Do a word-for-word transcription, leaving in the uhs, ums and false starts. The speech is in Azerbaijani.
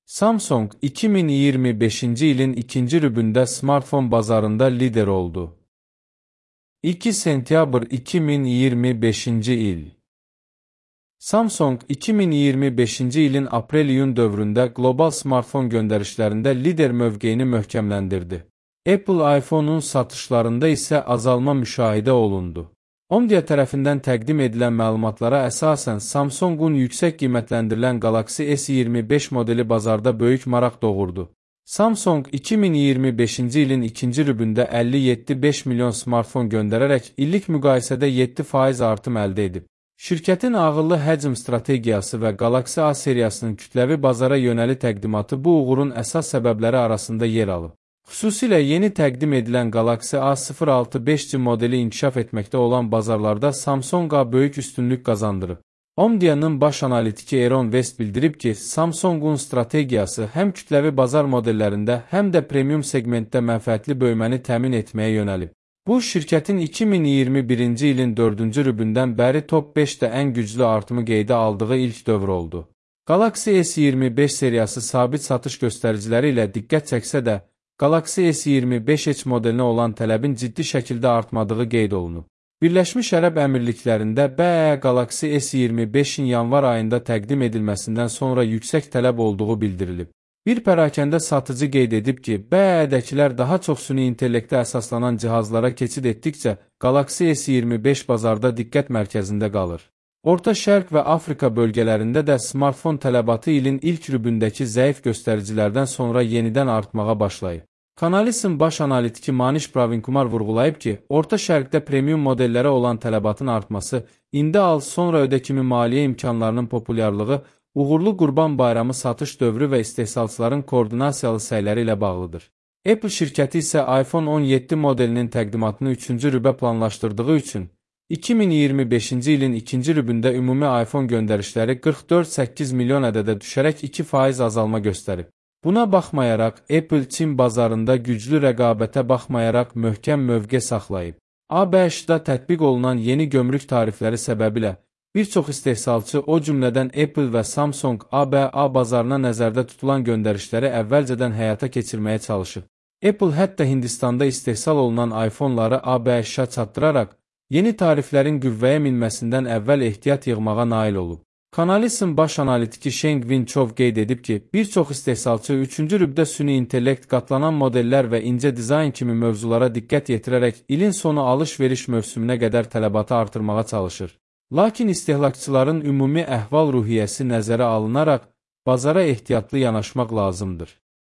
Samsung iki min iyirmi beşinci ilin ikinci rübündə smartfon bazarında lider oldu. iki sentyabr iki min iyirmi beşinci il. Samsung iki min iyirmi beşinci ilin aprel-iyun dövründə qlobal smartfon göndərişlərində lider mövqeyini möhkəmləndirdi. Apple iPhone-un satışlarında isə azalma müşahidə olundu. Omdia tərəfindən təqdim edilən məlumatlara əsasən Samsungun yüksək qiymətləndirilən Galaxy S iyirmi beş modeli bazarda böyük maraq doğurdu. Samsung iki min iyirmi beşinci ilin ikinci rübündə əlli yeddi nöqtə beş milyon smartfon göndərərək illik müqayisədə yeddi faiz artım əldə edib. Şirkətin ağıllı həcm strategiyası və Galaxy A seriyasının kütləvi bazara yönəli təqdimatı bu uğurun əsas səbəbləri arasında yer alıb. Xüsusilə yeni təqdim edilən Galaxy A sıfır altı beş G modeli inkişaf etməkdə olan bazarlarda Samsung A böyük üstünlük qazandırıb. Omdia'nın baş analitiki Aaron West bildirib ki, Samsungun strategiyası həm kütləvi bazar modellərində, həm də premium segmentdə mənfəətli böyüməni təmin etməyə yönəlib. Bu, şirkətin iki min iyirmi birinci ilin dördüncü rübündən bəri top beşdə ən güclü artımı qeydə aldığı ilk dövr oldu. Galaxy S iyirmi beş seriyası sabit satış göstəriciləri ilə diqqət çəksə də, Galaxy S iyirmi beş Edge modelinə olan tələbin ciddi şəkildə artmadığı qeyd olunub. Birləşmiş Ərəb Əmirliklərində B E Galaxy S iyirmi beşin yanvar ayında təqdim edilməsindən sonra yüksək tələb olduğu bildirilib. Bir pərakəndə satıcı qeyd edib ki, B E-dəkilər daha çox süni intellektə əsaslanan cihazlara keçid etdikcə, Galaxy S iyirmi beş bazarda diqqət mərkəzində qalır. Orta Şərq və Afrika bölgələrində də smartfon tələbatı ilin ilk rübündəki zəif göstəricilərdən sonra yenidən artmağa başlayıb. Canalys'ın baş analitiki Manish Pravinkumar vurğulayıb ki, Orta Şərqdə premium modellərə olan tələbatın artması, indi al sonra ödə kimi maliyyə imkanlarının populyarlığı, uğurlu Qurban Bayramı satış dövrü və istehsalçıların koordinasiyalı səyləri ilə bağlıdır. Apple şirkəti isə iPhone on yeddi modelinin təqdimatını üçüncü rübə planlaşdırdığı üçün, iki min iyirmi beşinci ilin ikinci rübündə ümumi iPhone göndərişləri qırx dörd nöqtə səkkiz milyon ədədə düşərək iki faiz azalma göstərib. Buna baxmayaraq, Apple Çin bazarında güclü rəqabətə baxmayaraq möhkəm mövqe saxlayıb. ABŞ-da tətbiq olunan yeni gömrük tarifləri səbəbilə bir çox istehsalçı, o cümlədən Apple və Samsung A B A bazarına nəzərdə tutulan göndərişləri əvvəlcədən həyata keçirməyə çalışıb. Apple hətta Hindistanda istehsal olunan iPhone-ları A B Ş-a çatdıraraq, yeni tariflərin qüvvəyə minməsindən əvvəl ehtiyat yığmağa nail olub. Canalys'ın baş analitiki Sheng Winchov qeyd edib ki, bir çox istehsalçı üçüncü rübdə süni intellekt, qatlanan modellər və incə dizayn kimi mövzulara diqqət yetirərək ilin sonu alış-veriş mövsümünə qədər tələbatı artırmağa çalışır. Lakin istehlakçıların ümumi əhval-ruhiyyəsi nəzərə alınaraq, bazara ehtiyatlı yanaşmaq lazımdır.